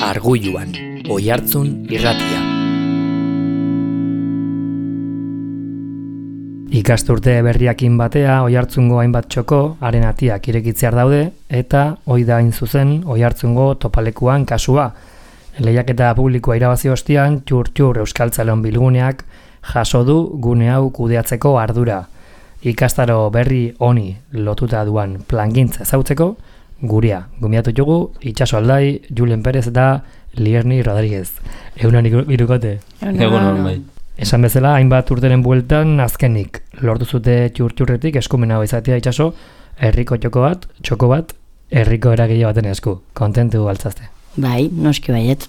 Arguluan, Oihartzun irratia. Ikasturte berriakin batea Oihartzungo hainbat txoko haren atiak irekitzear daude eta hoi da hain zuzen Oihartzungo topalekuan kasua. Lehiaketa publikoa irabazi ostean txur Euskaltzaleon bilguneak jaso du gune hau kudeatzeko ardura. Ikastaro berri honi lotuta duan plangintza ezautzeko gurea. Gomiatu dugu Itxaso Aldai, Julen Perez eta Lierni Rodríguez. Egunon irukote. Egunon bai. Esan bezala, hainbat urteren bueltan azkenik lortu zute txurretik eskumena izatea Itxaso, herriko txoko bat, herriko eragile baten esku. Kontentu altzazte. Bai, noski baiet.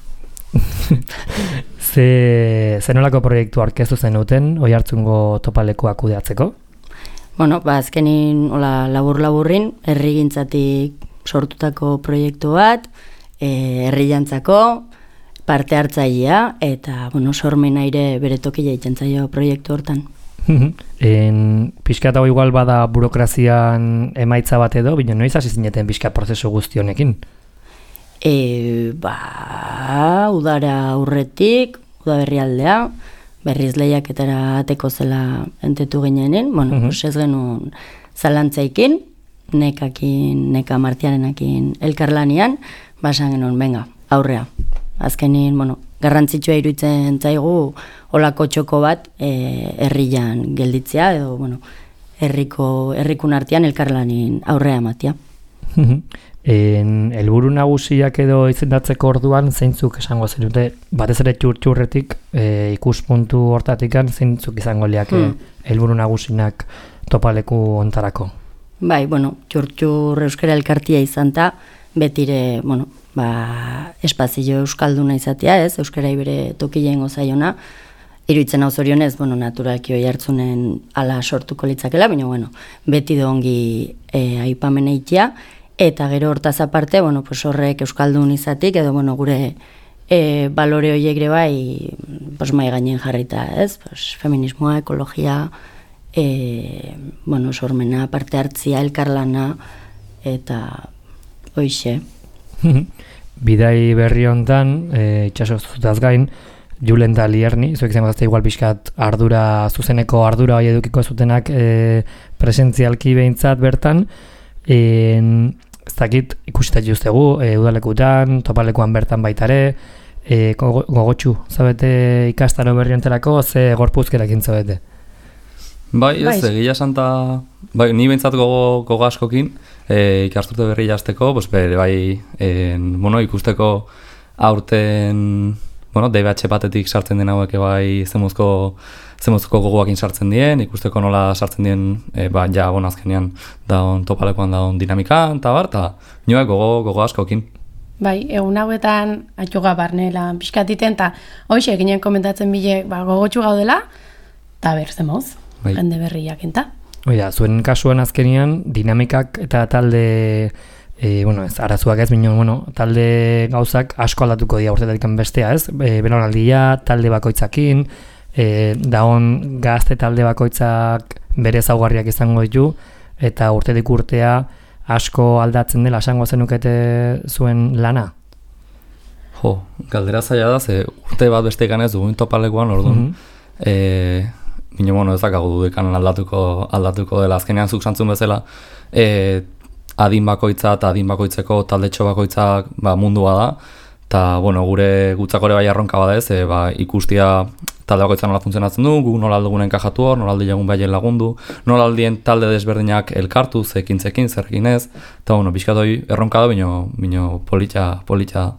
Zenolako proiektu aurkeztu zenuten Oihartzungo topalekoa kudeatzeko? Bueno, azkenin labur-laburrin herrigintzatik sortutako proiektu bat, herriantzako parte hartzailea eta sormena ere bere tokila itxentzaio proiektu hortan. Pixka eta igual bada burokrazian emaitza bat edo, bino noiz hasi zineten pixka prozesu guzti honekin? Udara aurretik, udaberrialdea, berriz lehiaketara ateko zela entetu gineenen, ez genuen zalantzaikin, neka martiarenakin elkarlanian, basan genuen, venga, aurrea. Azkenin, garrantzitsua iruditzen zaigu olako txoko bat herrian gelditzea, edo, herrikun artean elkarlanin aurrea ematia. Helburu nagusiak edo izendatzeko orduan zeintzuk esango zenute, batez ere txurretik ikuspuntu hortatikan zeintzuk izango liak helburu nagusinak topaleku ontarako? Bai, txur euskara elkartia izan ta, betire, espazio euskalduna izatea, ez, euskara ibere tokileen gozaiona, iruditzen hau zorionez, naturalki Oihartzunen ala sortuko litzakela, baina, beti dongi aipamena itia, eta gero hortaz aparte, horrek euskaldun izatik, edo, gure balore horiek ere bai, mai gainen jarrita, ez, feminismoa, ekologia, sormena, parte hartzia, elkarlana, eta hoixe. Bidai berri hontan, Itxaso zutaz gain, Julen da Lierni, zuek izango zazte igual pixkat zuzeneko ardura hori edukiko zutenak presentzialki behintzat bertan, ez dakit ikusita juztegu, udalekutan, topalekuan bertan baitare, gogotxu, zabete ikastaro berri honterako, ze gorpuzkerakin zabete? Bai, ez, egia santa, ni behintzat gogo askokin, ikasturte berri jazteko, bai, ikusteko aurten, DBH batetik sartzen den hauek bai zemuzko gogoakin sartzen dien, ikusteko nola sartzen dien, azkenean daun topalekoan daun dinamika, eta nioak gogo askokin. Bai, egun hauetan atxuga barnela pixkatiten, eta hoxe eginen komentatzen bile gogotxu gaudela, eta zemoz, jende berriak enta. Oida, zuen kasuan azkenean dinamikak eta talde, ez arazuak ez, talde gauzak asko aldatuko dira urtetatik bestea, ez? Benonaldia, talde bakoitzakin, daon gazte talde bakoitzak bere ezaugarriak izango ditu, eta urtetik urtea asko aldatzen dela, esango zenukete zuen lana? Jo, galdera zaila da, ze urte bat beste ganez dugun topalekoan, orduan, ez dakagu dudekan aldatuko dela, azkenean zuk santzun bezala, adin bakoitza eta adin bakoitzeko taldetxo bakoitzak mundua da, eta gure gutzakore bai arronka bada ez, ikustia talde bakoitza nola funtzionatzen du, gu nola aldugun enkajatu hor, nola aldi egun baien lagundu, nola aldien talde desberdinak elkartu, zekintzekin, zerrekin ez, eta bizkatoi erronka da, bino politxa da.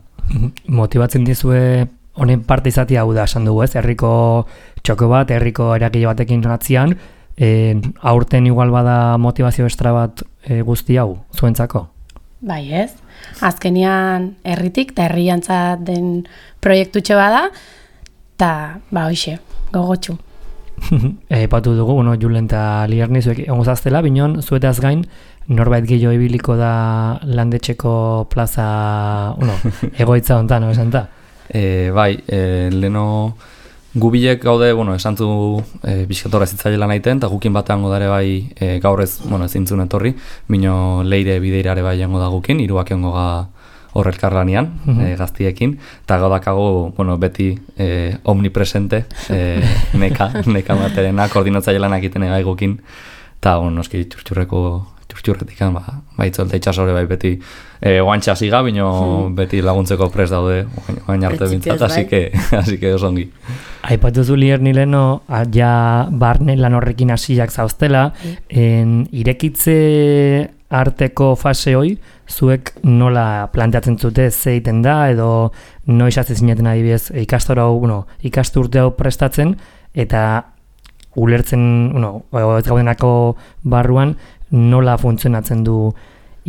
Motibatzen dizue honen parte izatea hau da, esan dugu ez, herriko txoko bat, herriko eragile batekin atzian, aurten igual bada motivazio estra bat guzti hau, zuentzako? Bai ez, azkenean herritik eta herriantzat den proiektutxe bada, eta hoxe, gogotxu. Epatu dugu, Julen eta Lierni zuek ongo zaztela, binon zuetaz gain, norbait gehiago ibiliko da landetxeko plaza, egoitza hontan, esan da? Bai, leno gubilek gaude, esantzu bizkatorra zitzailela nahiten, eta gukin batean godare bai gaur ez, ezintzun etorri, bino leire bideirare bai jango da gukin, iruak egongo horrelkarlanean, gaztiekin, eta gaudakago, bueno, beti omnipresente, neka materena, koordinatzaile lanak egiten egaigukin, eta, bueno, noski txurtxurretik, itzolta itxasore bai beti oantxa ziga, bino beti laguntzeko prest daude, oain arte bintzat, así que oso ongi. Aipatu zu Lierni leno, ja barne lan horrekin hasiak zauztela, irekitze arteko fase hoi, zuek nola planteatzen zute zeiten da, edo noiz hasi zineten adibidez ikasturte hau prestatzen, eta ulertzen, ez gaudenako barruan, nola funtzionatzen du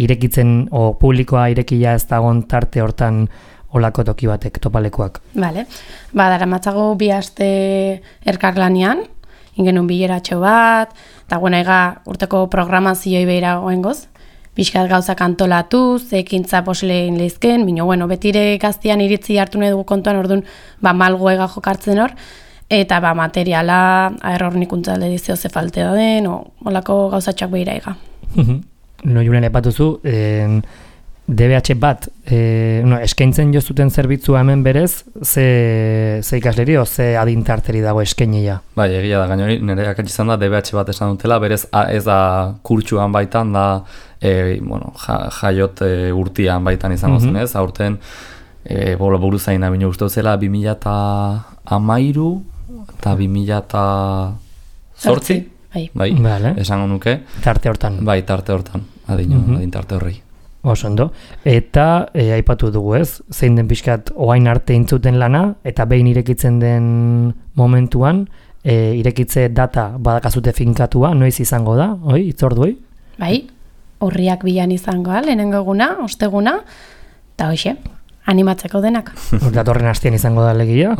irekitzen, o publikoa irekia ez dagoen tarte hortan olako toki batek, topalekuak. Vale. Daramatzago 2 aste elkarlanean, ingenun bileratxo bat, eta urteko programazioa beira goengoz, pixkat gauzak antolatu, ekintza posleen lehizken, betire gaztian iritzi hartu nahi dugu kontuan, orduan, malgoega jokartzen hor, eta materiala, errornikuntza edizio ze faltea den, olako gauzatxoak behira ega. Julen epatuzu, DBH bat, eskaintzen jozuten zerbitzua hemen berez, ze ikasleri o ze adintarteri dago eskainia? Bai, egia da, gainori nire akatsi izan da DBH bat esan dutela, berez ez da kurtsuan baitan, da jaiot urtian baitan izango zen ez, aurten buruzaina bine uste zela 2013 eta 2008, bai, esango nuke. Tarte hortan. Bai, tarte hortan, adintarte horrei. Oso ondo. Eta aipatu dugu ez, zein den pixkat oain arte intzuten lana, eta behin irekitzen den momentuan, irekitze data badakazute finkatua, noiz izango da, itzorduei? Bai, horriak bilan izango, lehenengo eguna, osteguna, eta hoxe, animatzeko denak. Datorren hastian izango da legia,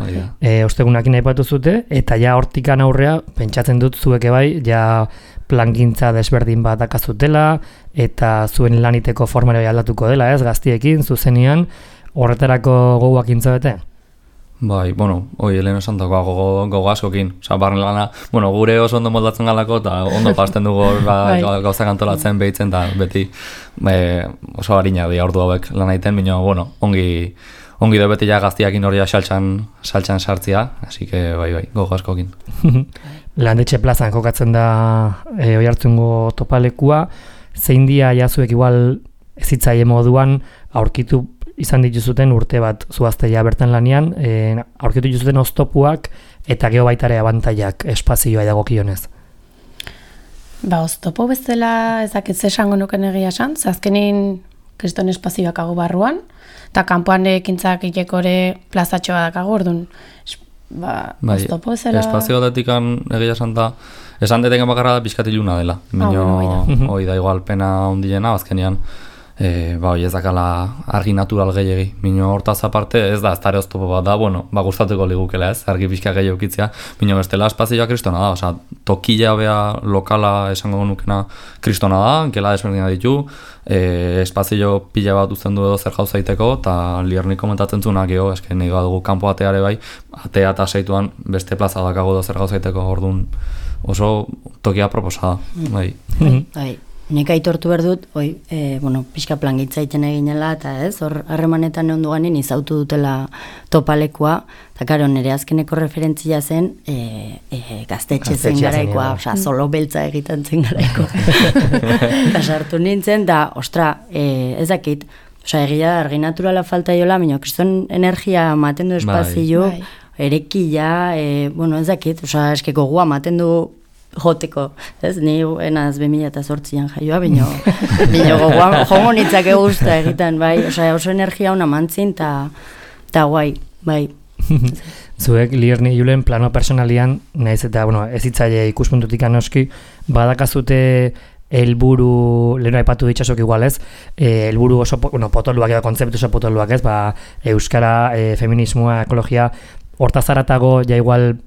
ostegunakin aipatu zute, eta ja hortikan aurrea, pentsatzen dut zueke bai, ja plangintza desberdin bat dakazutela, eta zuen laniteko formera aldatuko dela, ez, gaztiekin, zuzenean, horretarako gogoak intzabete? Bai, lehen esan dagoa gogo askokin, barren lana, gure oso ondo moldatzen galako, eta ondo pasten dugu gauzak antolatzen behitzen, eta beti oso harina di ordu hauek lan egiten, ongi da beti ja gaztiakin hori saltxan sartzia, así que bai, gogo askokin. Landetxe plazan jokatzen da Oiartzungo topalekua, zein dia jazuek igual ezitzaile moduan aurkitu izan dituzuten urte bat zuazteia bertan lanean, aurkitu dituzuten oztopuak eta geho baitare abantaiak espazioa edagokionez. Oztopo bezala ezakitze esango nuken egia esan, azkenin kriston espazioak agu barruan, eta kanpoan ekintzak itekore plazatxoa dakago, orduan, oztopo bezala... Espazio datikan egia esan da, esan deteken bakarra da pixkatiluna dela. Hoi da igual pena ondiena, azkenian, ez dakala argi natural gehiagi. Mino hortaz aparte ez da, ez dara oztopo bat da, gustatuko ligukela ez, argi pixka gehiago ukitzea. Mino bestela espazioa kristona da, oza, tokila bea lokala esango nukena kristona da, gela desberdina ditu, espazio pila bat uzten du edo zer gauzaiteko, eta Liernik komentatzen zunak esken nahi dugu kanpo ateare bai, atea eta seituan beste plaza dakago edo zer gauzaiteko, orduan oso tokia proposada. Bai. Nek aitortu behar dut, pixka plangitza egiten eginela, eta hor harremanetan egon duganin izautu dutela topalekua, eta karo, nire azkeneko referentzia zen gaztetxe zen garaikoa, solo beltza egiten zen garaiko. Eta sartu nintzen, da, ez dakit, egia argi naturala falta jola, minio, kriston energia maten du espazio, erekia, ez dakit, eskeko gua maten du joteko, ez? Ni enaz 2008an jaioa, bino gogoan jongo nitzak egusta egiten, bai, oso energia hona mantzin, eta guai, bai. Zuek, Lierni Julen, plano personalian, nahiz eta, ez hitzaile ikuspuntutik anoski, badakazute helburu, leheno aipatu ditxasok igual ez, helburu oso, potoluak edo kontzeptu oso potoluak ez, euskara, feminismoa, ekologia, hortazaratago, ja igual,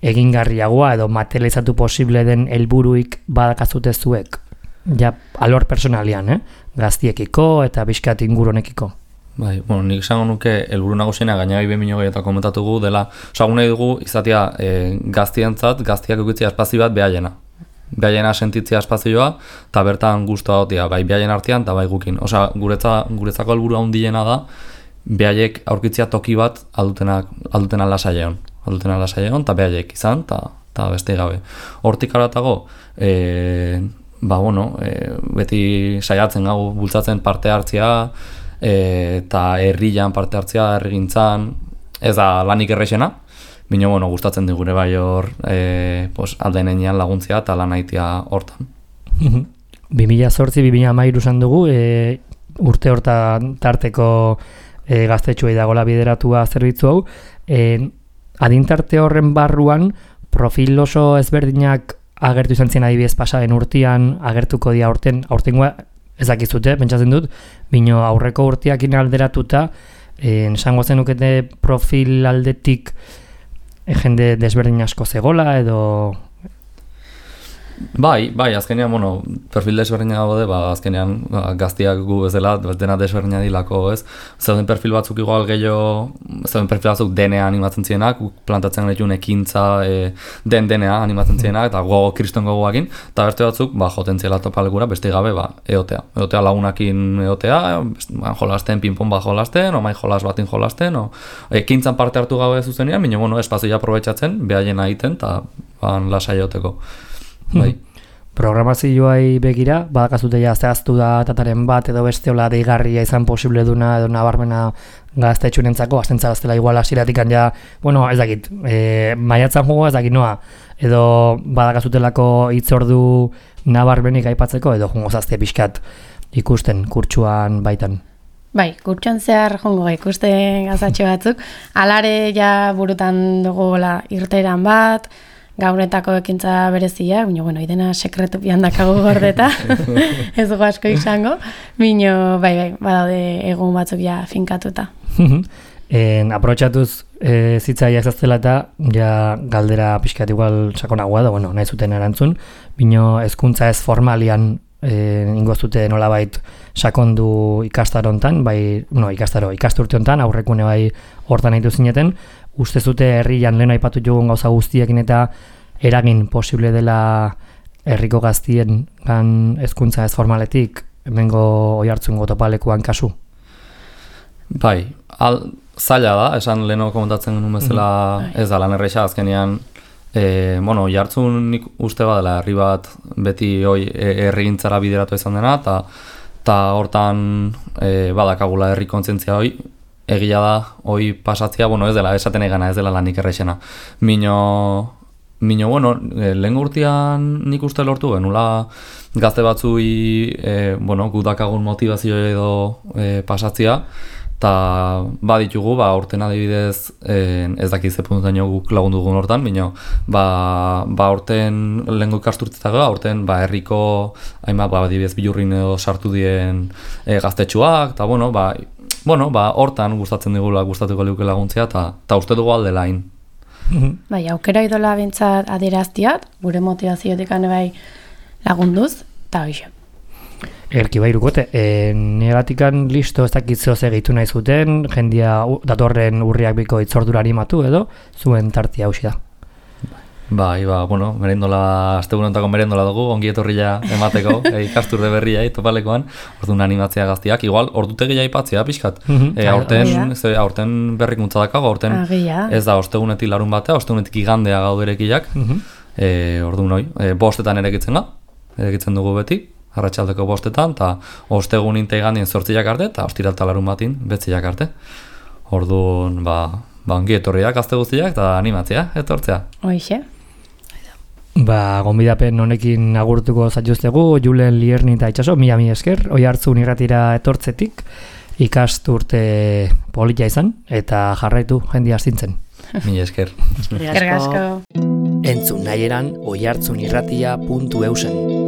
egingarriagoa edo materializatu posible den helburuik badakazute zuek, ja alor personalian, gaztiekiko eta bizkat inguronekiko. Bai, nik esango nuke helburu nagusiena gainera 2000 eta komentatugu dela, nahi dugu izatea gaztientzat, gaztiak eukitzea espazio bat behaiena. behaiena sentitzea espazioa, eta bertan guztua dotia, bai behaien artean, eta bai gukin. Osea, guretzako helburu handiena da, behaiek aurkitzea toki bat aldutena lasaion. Aldutena lasaion, eta behaiek izan, eta beste gabe. Hortik aratago, beti saiatzen gau bultzatzen parte hartzea, eta herrian parte hartzea, herrigintzan, ez da lanik errexena, bino, gustatzen digure bai hor aldenean laguntzea eta lan haitia hortan. 2008-2013 esan dugu, urte hortan tarteko gaztetxoei dagoela bideratua zerbitzu hau, adintarte horren barruan profil oso ezberdinak agertu izan zien adibidez pasaren urtean, agertuko dira aurtengoa ez dakizute, pentsatzen dut, bino aurreko urteakin alderatuta, esango zenukete profil aldetik jende desberdin asko zegola edo... Bai, azkenean, perfil desberdina daude, azkenean gaztiak gu bezala, dena desberdina dilako, ez? Zeuden perfil batzuk igual gehiago, zeuden perfil batzuk DNA animatzen zienak, plantatzen genituen ekintza DNA animatzen zienak, eta kriston gogoakin, eta beste batzuk, joten ziela topalekura, beste gabe, eotea. Eotea lagunakin eotea, jolasten, pinpon bat jolasten, omai jolas batin jolasten, ekintzan parte hartu gabe zuzenean, baina, espazioa aprobetxatzen, behaien egiten, eta lasai eoteko. Bai. Programazioai begira, badakazute ja zehaztu da tataren bat edo beste hola deigarria izan posible duna edo nabarmena gaztetxunentzako, aztentza gaztela igual asiratikan ja, ez dakit, maiatzan jugo ez dakit noa, edo badakazutelako hitzordu nabarmenik aipatzeko edo jungo zazte pixkat ikusten kurtsuan baitan. Bai, kurtsuan zehar jongo ikusten gazatxo batzuk, alare ja burutan dugu irteeran bat, gaunetako ekintza berezia, baina, idena sekretu pian dakago gordeta, ez dugu asko izango, baina, bai, badaude egun batzuk ja finkatuta. Aprotxatuz zitzaiak zaztela eta ja galdera pixkat igual sakonagoa da, nahi zuten erantzun, baina hezkuntza ez formalian ingozute nolabait sakondu ikastarontan, ikasturte hontan, aurrekune bai hortan nahitu zineten, uste zute herrian lehen aipatu jogun gauza guztiekin eta eragin posible dela herriko gaztien hezkuntza ez formaletik hemengo Oiartzungo topalekuan kasu? Bai, zaila da, esan leheno komentatzen genuen bezala ez da lan erresa azkenean, Oiartzun nik uste badela herri bat beti herrigintzara bideratu izan dena, eta hortan badakagula herri kontzientzia egia da, pasatzea, ez dela, esaten egana, ez dela lanik errexena. Lehen urtean nik uste lortu genula gazte batzui, gudakagun motivazio edo pasatzea, eta baditugu, urten adibidez, ez dakiz puntaino guk lagundu dugun hortan, baina horten lehenko ikasturtzetago, horten herriko, adibidez bilurrin edo sartu dien gaztetxuak, eta hortan gustatuko liuke laguntzea, eta uste dugu alde lain. Bai, aukera idola bintzat adieraztiat, gure motivaziotik bai lagunduz, eta hoxe. Erki bairukote, negatikan listo ez dakitzo segitu nahi zuten, jendia datorren urriak biko itzordura animatu edo, zuen tartia hausi da. Bai, merendola, astebunontako merendola dugu, ongi etorria emateko, ikasturde berria topalekoan, orduan animatzea gaztiak, igual, ordutegia aipatzea pixkat. Aurten berrikuntza dakago, aurten ez da ostegunetik larun batea, ostegunetik igandea gauderekiak, orduan bostetan erekitzen dugu beti, arratsaldeko bostetan, eta ostegun inte igandien 8 arte, eta ostiralta larun batin 9 arte. Orduan, ongi etorriak gazte guztiak, eta animatzea, etortzea. Hoixe. Gonbidapen honekin agurtuko zaituztegu, Julen Lierni eta Itxaso, mila esker, Oiartzun irratira etortzetik, ikasturte polita izan, eta jarraitu jendia astintzen. Mila esker. Eskerrik asko. Entzun nahi eran oiartzunirratia.eusen.